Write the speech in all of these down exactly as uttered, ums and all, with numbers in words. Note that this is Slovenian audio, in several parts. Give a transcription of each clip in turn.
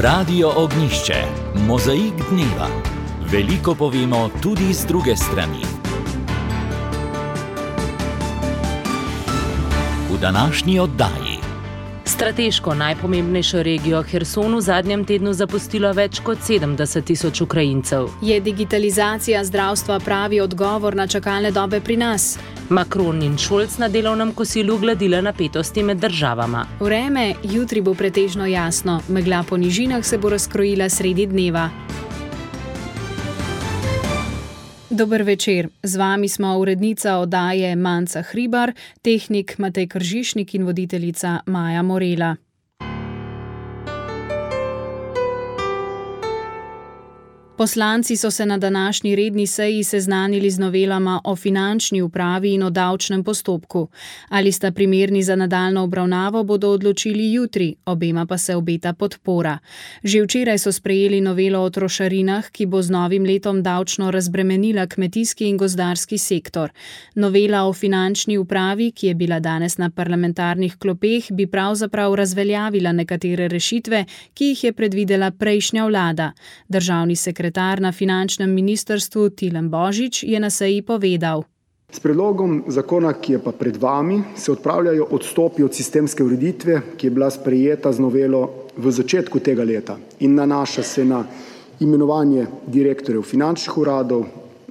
Radio Ognjišče, mozaik dneva. Veliko povemo tudi z druge strani. V današnji oddaji. Strateško najpomembnejšo regijo Herson v zadnjem tednu zapustilo več kot sedemdeset tisoč Ukrajincev. Je digitalizacija zdravstva pravi odgovor na čakalne dobe pri nas? Macron in Scholz na delovnem kosilu gladila napetosti med državama. Vreme jutri bo pretežno jasno, megla po nižinah se bo razkrojila sredi dneva. Dober večer, z vami smo urednica oddaje Manca Hribar, tehnik Matej Kržišnik in voditeljica Maja Morela. Poslanci so se na današnji redni seji seznanili z novelama o finančni upravi in o davčnem postopku. Ali sta primerni za nadaljnjo obravnavo, bodo odločili jutri, obema pa se obeta podpora. Že včeraj so sprejeli novelo o trošarinah, ki bo z novim letom davčno razbremenila kmetijski in gozdarski sektor. Novela o finančni upravi, ki je bila danes na parlamentarnih klopeh, bi pravzaprav razveljavila nekatere rešitve, ki jih je predvidela prejšnja vlada. Državni sekretar na finančnem ministrstvu Tilen Božič je na seji povedal. S predlogom zakona, ki je pa pred vami, se odpravljajo odstopi od sistemske ureditve, ki je bila sprejeta z novelo v začetku tega leta in nanaša se na imenovanje direktorjev finančnih uradov,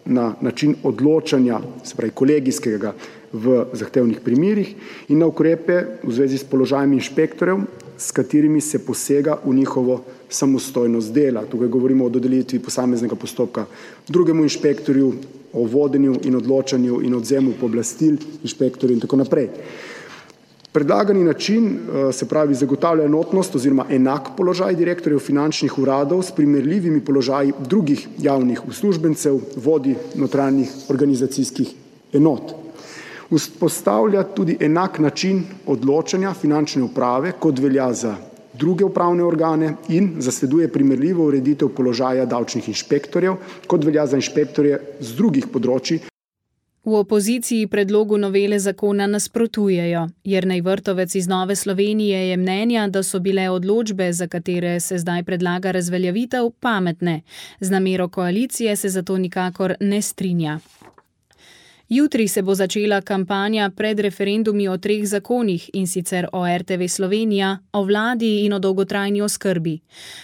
na način odločanja, se pravi kolegijskega v zahtevnih primerih in na ukrepe v zvezi s položajem inšpektorjev, s katerimi se posega v njihovo samostojnost dela. Tukaj govorimo o dodelitvi posameznega postopka drugemu inšpektorju, o vodenju in odločanju in odvzemu pooblastil inšpektorju in tako naprej. Predlagani način, se pravi, zagotavlja enotnost oziroma enak položaj direktorjev finančnih uradov s primerljivimi položaji drugih javnih uslužbencev, vodij notranjih organizacijskih enot. Vzpostavlja tudi enak način odločanja finančne uprave, kot velja za druge upravne organe in zasleduje primerljivo ureditev položaja davčnih inšpektorjev, kot velja za inšpektorje z drugih področij. V opoziciji predlogu novele zakona nasprotujejo. Jernej Vrtovec iz Nove Slovenije je mnenja, da so bile odločbe, za katere se zdaj predlaga razveljavitev, pametne. Z namero koalicije se zato nikakor ne strinja. Jutri se bo začela kampanja pred referendumi o treh zakonih, in sicer o R T V Slovenija, o vladi in o dolgotrajni oskrbi.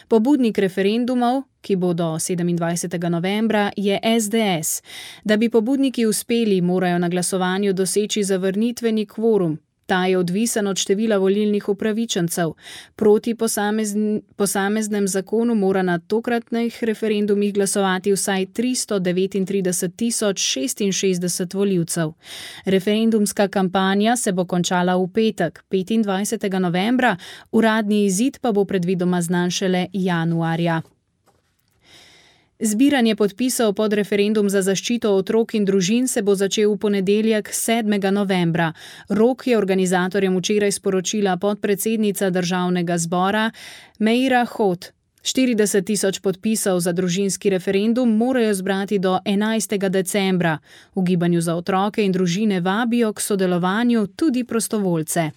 Pobudnik referendumov, ki bodo sedemindvajsetega novembra, je S D S. Da bi pobudniki uspeli, morajo na glasovanju doseči zavrnitveni kvorum. Ta je odvisen od števila volilnih upravičencev. Proti posamezn, posameznem zakonu mora na tokratnih referendumih glasovati vsaj tristo devetintrideset tisoč šestinšestdeset volivcev. Referendumska kampanja se bo končala v petek, petindvajsetega novembra, uradni izid pa bo predvidoma znan šele januarja. Zbiranje podpisov pod referendum za zaščito otrok in družin se bo začel v ponedeljek sedmega novembra. Rok je organizatorjem včeraj sporočila podpredsednica Državnega zbora Meira Hot. štirideset tisoč podpisov za družinski referendum morajo zbrati do enajstega decembra. V Gibanju za otroke in družine vabijo k sodelovanju tudi prostovoljce.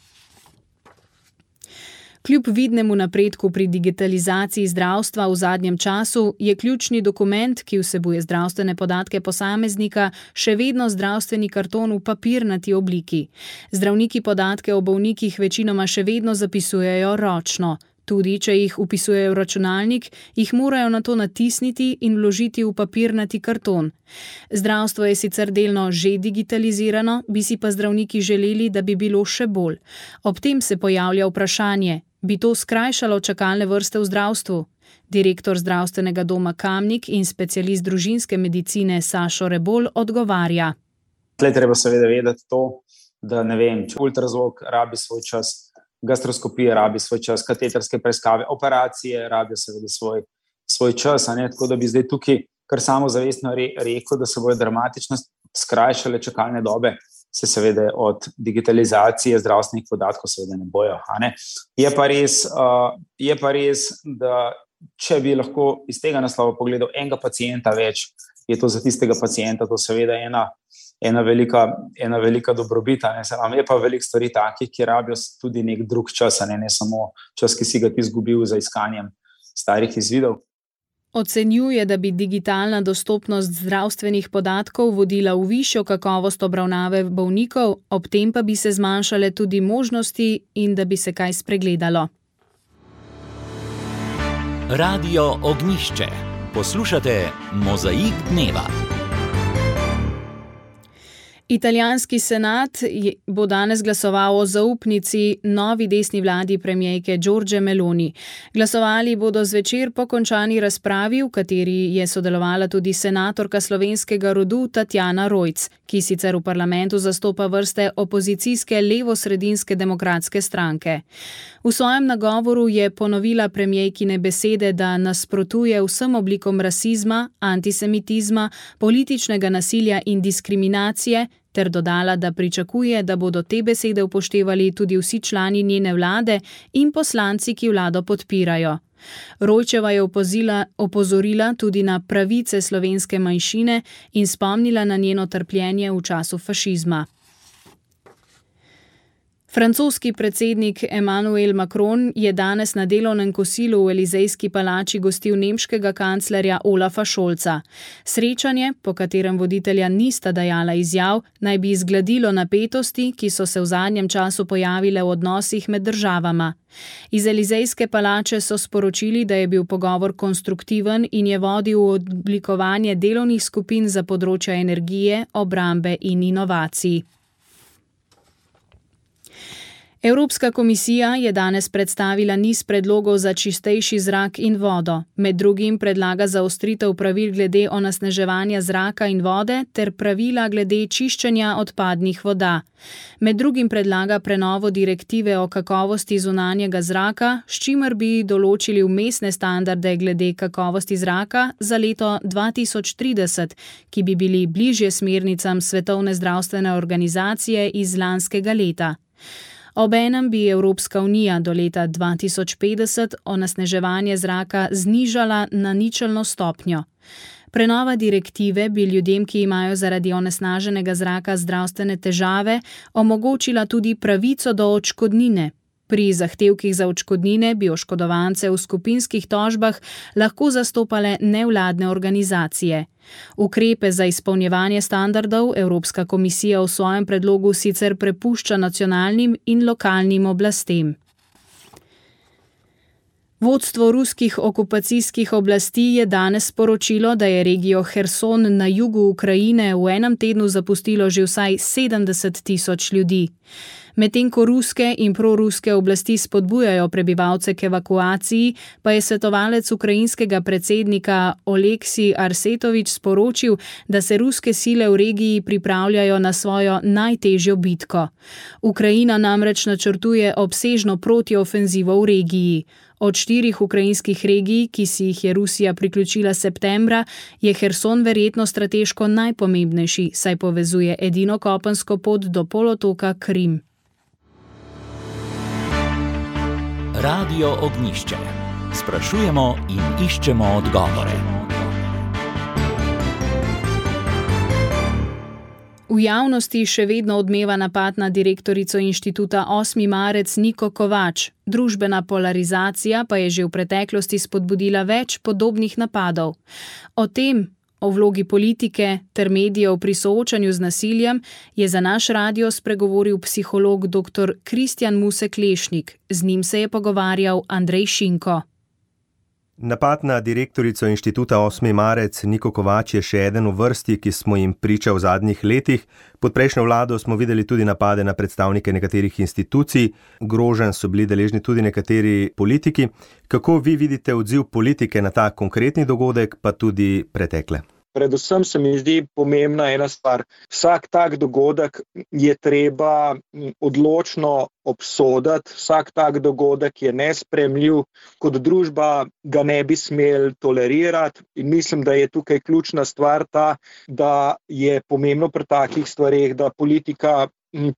Kljub vidnemu napredku pri digitalizaciji zdravstva v zadnjem času je ključni dokument, ki vsebuje zdravstvene podatke posameznika, še vedno zdravstveni karton v papirnati obliki. Zdravniki podatke o bolnikih večinoma še vedno zapisujejo ročno. Tudi, če jih vpisujejo v računalnik, jih morajo nato natisniti in vložiti v papirnati karton. Zdravstvo je sicer delno že digitalizirano, bi si pa zdravniki želeli, da bi bilo še bolj. Ob tem se pojavlja vprašanje, bi to skrajšalo čakalne vrste v zdravstvu? Direktor zdravstvenega doma Kamnik in specialist družinske medicine Sašo Rebolj odgovarja. Tle treba seveda vedeti to, da ne vem, če ultrazvok rabi svoj čas, gastroskopija rabi svoj čas, kateterske preiskave, operacije rabijo seveda svoj, svoj čas, a ne? Tako da bi zdaj tukaj kar samozavestno re, rekel, da se bojo dramatično skrajšale čakalne dobe, se seveda od digitalizacije zdravstvenih podatkov seveda ne bojo. A ne? Je pa res, uh, je pa res, da če bi lahko iz tega naslova pogledal enega pacienta več, je to za tistega pacienta to seveda ena ena velika, ena velika dobrobita. Ne, je pa veliko stvari takih, ki rabijo tudi nek drug čas, ne, ne samo čas, ki si ga ti izgubil za iskanjem starih izvidov. Ocenjuje, da bi digitalna dostopnost zdravstvenih podatkov vodila v višjo kakovost obravnave bolnikov, ob tem pa bi se zmanjšale tudi možnosti in da bi se kaj spregledalo. Radio Ognjišče. Poslušate Mozaik dneva. Italijanski senat bo danes glasoval o zaupnici novi desni vladi premierke Giorgie Meloni. Glasovali bodo zvečer po končani razpravi, v kateri je sodelovala tudi senatorka slovenskega rodu Tatjana Rojc, ki sicer v parlamentu zastopa vrste opozicijske levo-sredinske demokratske stranke. V svojem nagovoru je ponovila premierkine besede, da nasprotuje vsem oblikom rasizma, antisemitizma, političnega nasilja in diskriminacije, ter dodala, da pričakuje, da bodo te besede upoštevali tudi vsi člani njene vlade in poslanci, ki vlado podpirajo. Rojčeva je opozila, opozorila tudi na pravice slovenske manjšine in spomnila na njeno trpljenje v času fašizma. Francoski predsednik Emmanuel Macron je danes na delovnem kosilu v Elizejski palači gostil nemškega kanclerja Olafa Scholza. Srečanje, po katerem voditelja nista dajala izjav, naj bi izgladilo napetosti, ki so se v zadnjem času pojavile v odnosih med državama. Iz Elizejske palače so sporočili, da je bil pogovor konstruktiven in je vodil v oblikovanje delovnih skupin za področja energije, obrambe in inovacij. Evropska komisija je danes predstavila niz predlogov za čistejši zrak in vodo. Med drugim predlaga zaostritev pravil glede onesnaževanja zraka in vode ter pravila glede čiščenja odpadnih voda. Med drugim predlaga prenovo direktive o kakovosti zunanjega zraka, s čimer bi določili vmesne standarde glede kakovosti zraka za leto dva tisoč trideset, ki bi bili bližje smernicam Svetovne zdravstvene organizacije iz lanskega leta. Obenem bi Evropska unija do leta dva tisoč petdeset onesnaževanje zraka znižala na ničelno stopnjo. Prenova direktive bi ljudem, ki imajo zaradi onesnaženega zraka zdravstvene težave, omogočila tudi pravico do odškodnine. Pri zahtevkih za odškodnine bi oškodovance v skupinskih tožbah lahko zastopale nevladne organizacije. Ukrepe za izpolnjevanje standardov Evropska komisija v svojem predlogu sicer prepušča nacionalnim in lokalnim oblastem. Vodstvo ruskih okupacijskih oblasti je danes sporočilo, da je regijo Herson na jugu Ukrajine v enem tednu zapustilo že vsaj sedemdeset tisoč ljudi. Medtem ko ruske in proruske oblasti spodbujajo prebivalce k evakuaciji, pa je svetovalec ukrajinskega predsednika Oleksij Arsetovič sporočil, da se ruske sile v regiji pripravljajo na svojo najtežjo bitko. Ukrajina namreč načrtuje obsežno protiofenzivo v regiji. Od štirih ukrajinskih regij, ki si jih je Rusija priključila septembra, je Herson verjetno strateško najpomembnejši, saj povezuje edino kopensko pot do polotoka Krim. Radio Ognjišče. Sprašujemo in iščemo odgovore. V javnosti še vedno odmeva napad na direktorico inštituta osmi marec Niko Kovač. Družbena polarizacija pa je že v preteklosti spodbudila več podobnih napadov. O tem, o vlogi politike ter medijev pri soočanju z nasiljem, je za naš radio spregovoril psiholog dr. Kristjan Musek-Lešnik. Z njim se je pogovarjal Andrej Šinko. Napad na direktorico inštituta osmi marec Niko Kovač je še eden v vrsti, ki smo jim priča v zadnjih letih. Pod prejšnjo vlado smo videli tudi napade na predstavnike nekaterih institucij, groženj so bili deležni tudi nekateri politiki. Kako vi vidite odziv politike na ta konkretni dogodek, pa tudi pretekle? Predvsem se mi zdi pomembna ena stvar. Vsak tak dogodek je treba odločno obsoditi, vsak tak dogodek je nesprejemljiv, kot družba ga ne bi smeli tolerirati in mislim, da je tukaj ključna stvar ta, da je pomembno pri takih stvareh, da politika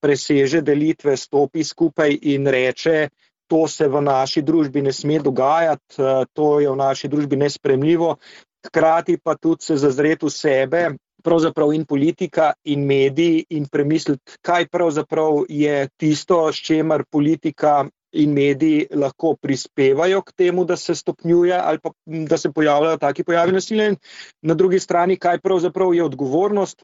preseže delitve, stopi skupaj in reče, to se v naši družbi ne sme dogajati, to je v naši družbi nesprejemljivo. Hkrati pa tudi se zazreti v sebe, pravzaprav in politika in mediji in premisliti, kaj pravzaprav je tisto, s čemer politika in mediji lahko prispevajo k temu, da se stopnjuje ali pa da se pojavljajo taki pojavi nasilja. In na drugi strani, kaj pravzaprav je odgovornost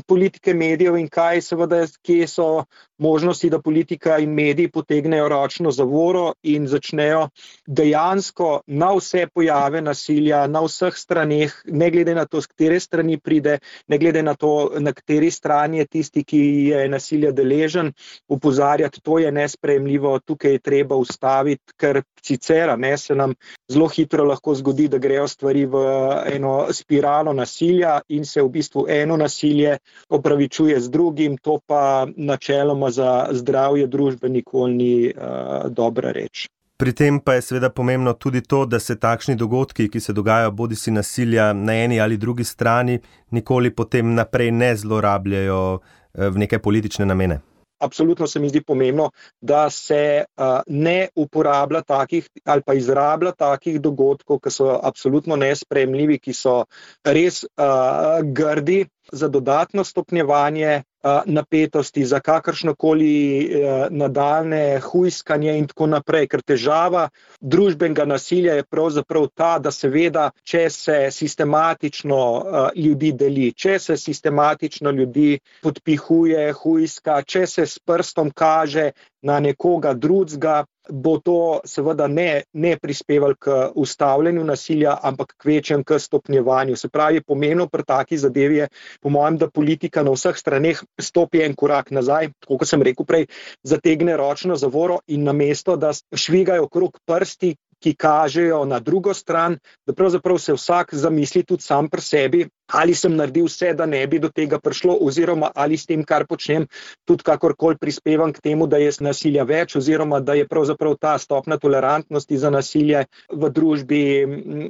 politike, medijev in kaj seveda, kje so možnosti, da politika in mediji potegnejo ročno zavoro in začnejo dejansko na vse pojave nasilja, na vseh straneh, ne glede na to, z katere strani pride, ne glede na to, na kateri strani je tisti, ki je nasilja deležen, upozarjati, to je nesprejemljivo, tukaj je treba ustaviti, ker sicer ne, se nam zelo hitro lahko zgodi, da grejo stvari v eno spiralo nasilja in se v bistvu eno nasilje opravičuje z drugim, to pa načeloma za zdravje družbe nikoli ni uh, dobra reč. Pri tem pa je seveda pomembno tudi to, da se takšni dogodki, ki se dogajajo bodisi nasilja na eni ali drugi strani, nikoli potem naprej ne zlorabljajo v neke politične namene. Absolutno se mi zdi pomembno, da se uh, ne uporablja takih ali pa izrablja takih dogodkov, ki so absolutno nesprejemljivi, ki so res uh, grdi za dodatno stopnjevanje uh, napetosti, za kakršnokoli uh, nadaljne hujskanje in tako naprej. Ker težava družbenega nasilja je pravzaprav ta, da seveda, če se sistematično uh, ljudi deli, če se sistematično ljudi podpihuje, hujska, če se s prstom kaže na nekoga drugega, bo to seveda ne, ne prispevalo k ustavljanju nasilja, ampak k večjem k stopnjevanju. Se pravi, pomembno pri taki zadevi je, po mojem, da politika na vseh straneh stopi en korak nazaj, tako kot sem rekel prej, zategne ročno zavoro in namesto, da švigajo okrog prsti, ki kažejo na drugo stran, da pravzaprav se vsak zamisli tudi sam pri sebi, ali sem naredil vse, da ne bi do tega prišlo, oziroma ali s tem, kar počnem, tudi kakorkoli prispevam k temu, da je nasilja več, oziroma da je pravzaprav ta stopnja tolerantnosti za nasilje v družbi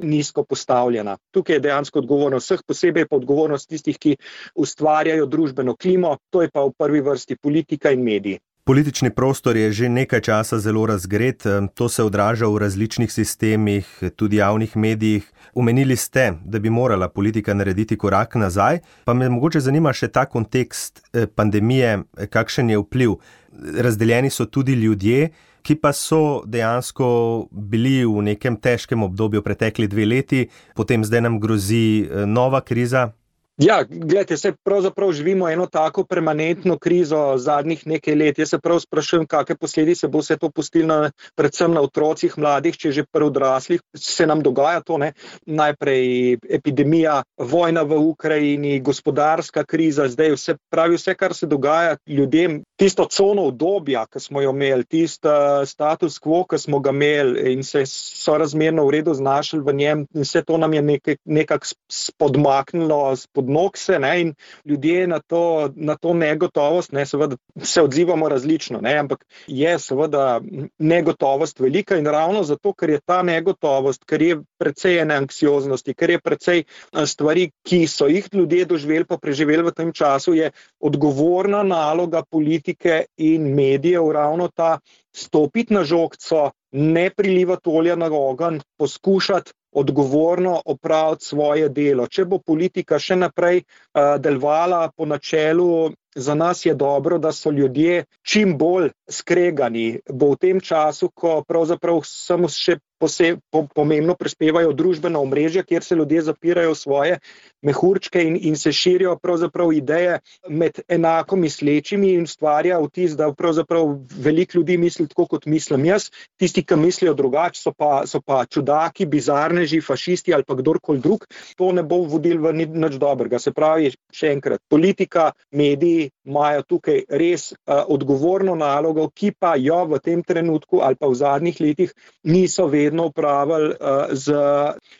nizko postavljena. Tukaj je dejansko odgovornost vseh, posebej pa odgovornost tistih, ki ustvarjajo družbeno klimo, to je pa v prvi vrsti politika in mediji. Politični prostor je že nekaj časa zelo razgret, to se odraža v različnih sistemih, tudi javnih medijih. Omenili ste, da bi morala politika narediti korak nazaj, pa me mogoče zanima še ta kontekst pandemije, kakšen je vpliv. Razdeljeni so tudi ljudje, ki pa so dejansko bili v nekem težkem obdobju pretekli dve leti, potem zdaj nam grozi nova kriza. Ja, gledajte, se pravzaprav živimo eno tako permanentno krizo zadnjih nekaj let. Jaz se prav sprašujem, kakšne posledice bo vse to pustilo na, predvsem na otrocih, mladih, če že pri odraslih se nam dogaja to, ne. Najprej epidemija, vojna v Ukrajini, gospodarska kriza, zdaj vse pravi vse, kar se dogaja ljudem. Tisto cono obdobja, ki smo jo imeli, tisto status quo, ki smo ga imeli in se sorazmerno v redu znašli v njem, vse to nam je nekaj, nekako spodmaknilo spod nog se, ne, in ljudje na to, na to negotovost, ne, seveda se odzivamo različno, ne, ampak je seveda negotovost velika in ravno zato, ker je ta negotovost, ker je precej ene anksioznosti, ker je precej stvari, ki so jih ljudje doživeli pa preživeli v tem času, je odgovorna naloga politike in medijev ravno ta stopiti na žogco, ne prilivati olja na ogenj, poskušati odgovorno opraviti svoje delo. Če bo politika še naprej uh, delovala po načelu, za nas je dobro, da so ljudje čim bolj skregani, bo v tem času, ko pravzaprav samo še poseb, po, pomembno prispevajo družbena omrežja, kjer se ljudje zapirajo svoje mehurčke in, in se širijo pravzaprav ideje med enako mislečimi in stvarja vtis, da pravzaprav veliko ljudi misli tako, kot mislim jaz. Tisti, ki mislijo drugače, so pa, so pa čudaki, bizarneži, fašisti ali pa kdorkoli drug. To ne bo vodilo v nič dobrega. Se pravi, še enkrat, politika, mediji imajo tukaj res uh, odgovorno nalogo, ki pa jo v tem trenutku ali pa v zadnjih letih niso vedno upravili uh, z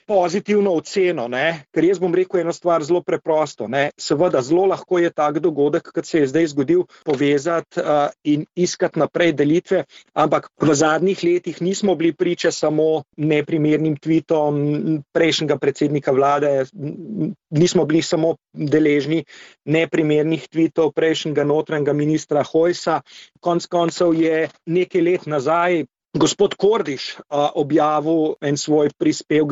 pozitivno oceno, ne? Ker jaz bom rekel eno stvar zelo preprosto, ne? Seveda zelo lahko je tak dogodek, kot se je zdaj zgodil, povezati uh, in iskati naprej delitve, ampak v zadnjih letih nismo bili priče samo neprimernim tweetom prejšnjega predsednika vlade, nismo bili samo deležni neprimernih tweetov prejšnjega notranjega ministra Hojsa. Konec koncev je nekaj let nazaj gospod Kordiš a, objavil en svoj prispevek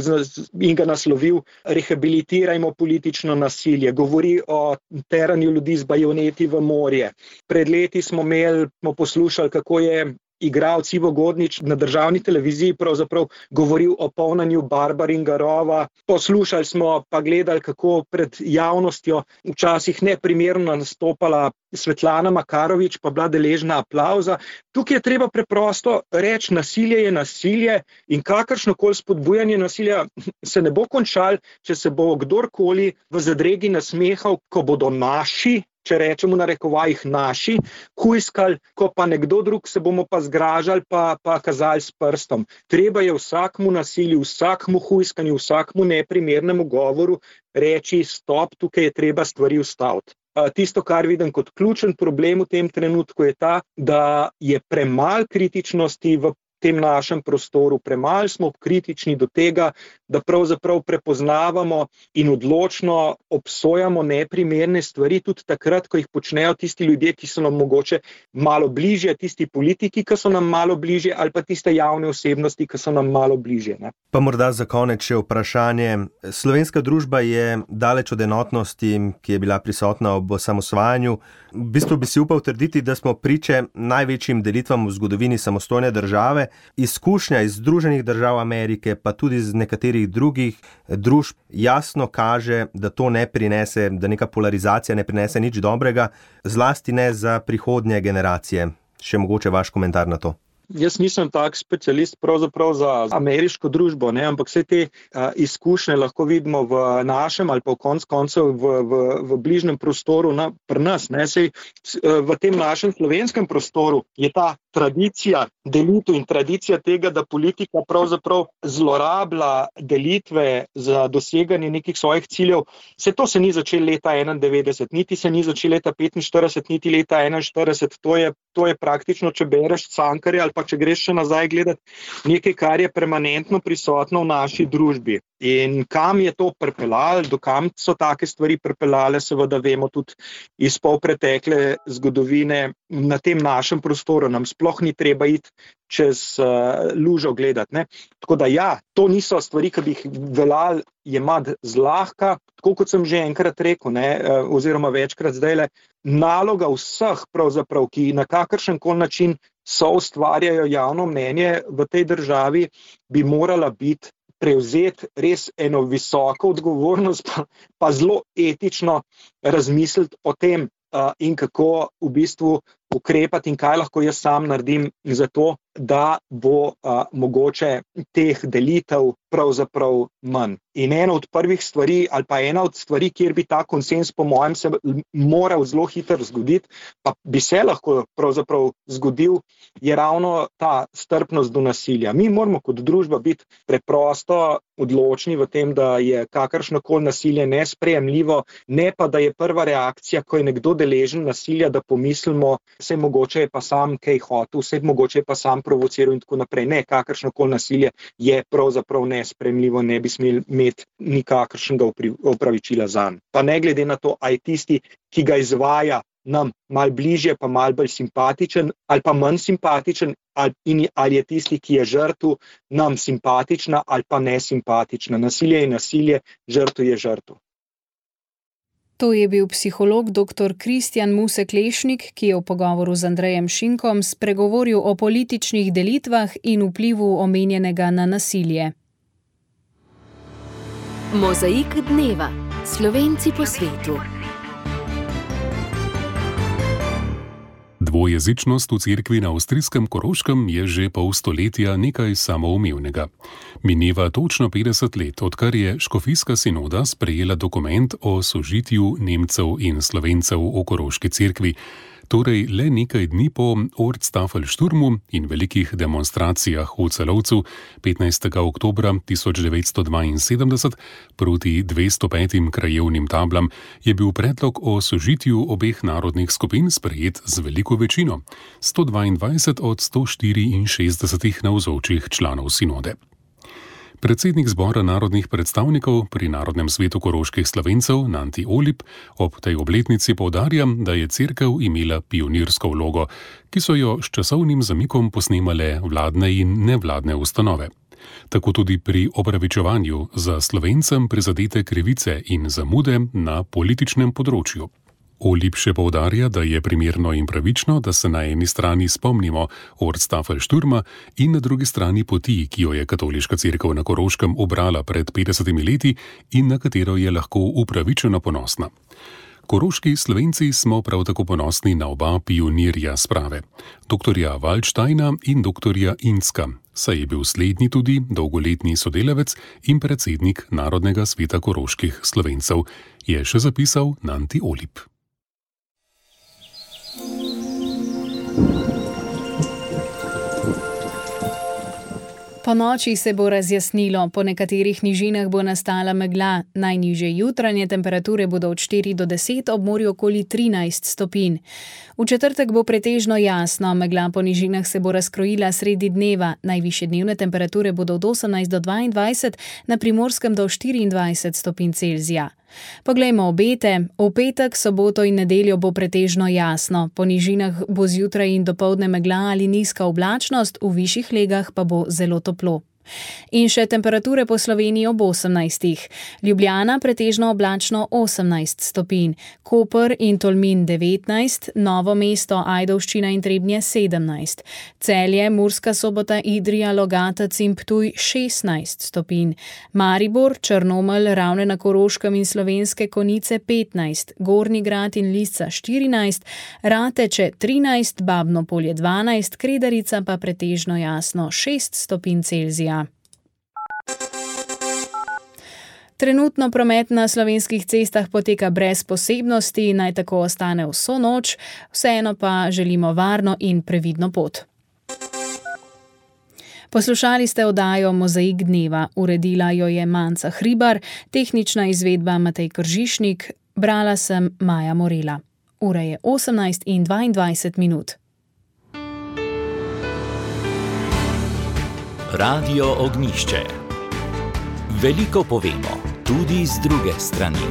in ga naslovil Rehabilitirajmo politično nasilje. Govori o teranju ljudi z bajoneti v morje. Pred leti smo imeli, smo poslušali, kako je igralec Ivo Godnič na državni televiziji pravzaprav govoril o polnanju Barbaringarova. Poslušali smo pa gledali, kako pred javnostjo včasih neprimerno nastopala Svetlana Makarovič, pa bila deležna aplavza. Tukaj je treba preprosto reči, nasilje je nasilje in kakršnokoli spodbujanje nasilja se ne bo končalo, če se bo kdorkoli v zadregi nasmehal, ko bodo naši, če rečemo na rekovajih naši, hujskali, ko pa nekdo drug se bomo pa zgražali, pa, pa kazali s prstom. Treba je vsakmu nasilju, vsakmu hujskanju, vsakmu neprimernemu govoru reči stop, tukaj je treba stvari ustaviti. Tisto, kar vidim kot ključen problem v tem trenutku, je ta, da je premalo kritičnosti v tem našem prostoru, premalo smo kritični do tega, da pravzaprav prepoznavamo in odločno obsojamo neprimerne stvari, tudi takrat, ko jih počnejo tisti ljudje, ki so nam mogoče malo bližje, tisti politiki, ki so nam malo bližje, ali pa tiste javne osebnosti, ki so nam malo bližje. Ne? Pa morda za konec še vprašanje. Slovenska družba je daleč od enotnosti, ki je bila prisotna ob osamosvajanju. V bistvu bi si upal trditi, da smo priče največjim delitvam v zgodovini samostojne države. Izkušnja iz Združenih držav Amerike, pa tudi z nekaterih drugih družb jasno kaže, da to ne prinese, da neka polarizacija ne prinese nič dobrega, zlasti ne za prihodnje generacije. Še mogoče vaš komentar na to. Jaz nisem tak specialist pravzaprav za ameriško družbo, ne, ampak vse te a, izkušnje lahko vidimo v našem ali pa v konc koncev v, v, v bližnjem prostoru na, pri nas. Ne, sej, v tem našem slovenskem prostoru je ta tradicija delitev in tradicija tega, da politika pravzaprav zlorablja delitve za doseganje nekih svojih ciljev. Vse to se ni začelo leta enaindevetdeset, niti se ni začelo leta petinštirideset, niti leta enainštirideset. To je, to je praktično, če bereš Cankarja ali pa če greš še nazaj gledati, nekaj, kar je permanentno prisotno v naši družbi. In kam je to pripeljalo, do kam so take stvari pripeljale, seveda vemo tudi iz polpretekle zgodovine na tem našem prostoru. Nam sploh ni treba iti čez uh, lužo gledati. Ne? Tako da ja, to niso stvari, ki bi jih veljali jemati zlahka, tako kot sem že enkrat rekel, ne, uh, oziroma večkrat zdajle, naloga vseh pravzaprav, ki na kakršenkoli način so ustvarjajo javno mnenje v tej državi, bi morala biti prevzeti res eno visoko odgovornost, pa, pa zelo etično razmisliti o tem uh, in kako v bistvu ukrepati in kaj lahko jaz sam naredim za to, da bo uh, mogoče teh delitev pravzaprav manj. In ena od prvih stvari, ali pa ena od stvari, kjer bi ta konsens po mojem se moral zelo hitro zgoditi, pa bi se lahko pravzaprav zgodil, je ravno ta strpnost do nasilja. Mi moramo kot družba biti preprosto odločni v tem, da je kakršnokoli nasilje nesprejemljivo, ne pa da je prva reakcija, ko je nekdo deležen nasilja, da pomislimo, vse mogoče je pa sam kaj hotel, vse mogoče je pa sam provociral in tako naprej. Ne, kakršnokoli nasilje je pravzaprav nesprejemljivo, ne bi smeli imeti nikakršnega opravičila zanj. Pa ne glede na to, a je tisti, ki ga izvaja, nam malo bližje, pa malo bolj simpatičen, ali pa manj simpatičen, ali, in, ali je tisti, ki je žrtev, nam simpatična ali pa nesimpatična. Nasilje je nasilje, žrtev je žrtev. To je bil psiholog doktor Kristjan Musek-Lešnik, ki je v pogovoru z Andrejem Šinkom spregovoril o političnih delitvah in vplivu omenjenega na nasilje. Mozaik dneva. Slovenci po svetu. Dvojezičnost v cerkvi na avstrijskem Koroškem je že pol stoletja nekaj samoumevnega. Mineva točno petdeset let, odkar je škofijska sinoda sprejela dokument o sožitju Nemcev in Slovencev v Koroški cerkvi. Torej le nekaj dni po Ortstafelsturmu in velikih demonstracijah v Celovcu petnajstega oktobra tisoč devetsto dvainsedemdeset proti dvesto petim krajevnim tablam je bil predlog o sožitju obeh narodnih skupin sprejet z veliko večino, sto dvaindvajset od sto štiriinšestdesetih navzočih članov sinode. Predsednik zbora narodnih predstavnikov pri Narodnem svetu koroških Slovencev Nanti Olip ob tej obletnici poudarja, da je cerkev imela pionirsko vlogo, ki so jo s časovnim zamikom posnemale vladne in nevladne ustanove. Tako tudi pri opravičevanju za Slovencem prizadete krivice in zamude na političnem področju. Olip še poudarja, da je primerno in pravično, da se na eni strani spomnimo Ortstafel-Šturma in na drugi strani poti, ki jo je katoliška cerkev na Koroškem ubrala pred petdesetimi leti in na katero je lahko upravičeno ponosna. Koroški Slovenci smo prav tako ponosni na oba pionirja sprave, doktorja Waldsteina in doktorja Inska, saj je bil slednji tudi dolgoletni sodelavec in predsednik Narodnega sveta koroških Slovencev, je še zapisal Nanti Olip. Po noči se bo razjasnilo, po nekaterih nižinah bo nastala megla, najnižje jutranje temperature bodo od štiri do deset, ob morju okoli trinajst stopinj. V četrtek bo pretežno jasno, megla po nižinah se bo razkrojila sredi dneva, najvišje dnevne temperature bodo od osemnajst do dvaindvajset, na Primorskem do štiriindvajset stopinj Celzija. Poglejmo obete. V petek, soboto in nedeljo bo pretežno jasno. Po nižinah bo zjutraj in dopoldne megla ali nizka oblačnost, v višjih legah pa bo zelo toplo. In še temperature po Sloveniji ob osemnajstih. Ljubljana pretežno oblačno osemnajst stopinj, Koper in Tolmin devetnajst, Novo mesto, Ajdovščina in Trebnje sedemnajst, Celje, Murska Sobota, Idrija, Logatec in Ptuj šestnajst stopinj, Maribor, Črnomelj, Ravne na Koroškem in Slovenske Konjice petnajst, Gornji Grad in Lisca štirinajst, Rateče trinajst, Babno Polje dvanajst, Kredarica pa pretežno jasno šest stopinj Celzija. Trenutno promet na slovenskih cestah poteka brez posebnosti, naj tako ostane vso noč, vseeno pa želimo varno in previdno pot. Poslušali ste oddajo Mozaik dneva, uredila jo je Manca Hribar, tehnična izvedba Matej Kržišnik, brala sem Maja Morela. Ura je osemnajst in dvaindvajset minut. Radio Ognjišče. Veliko povemo, tudi z druge strani.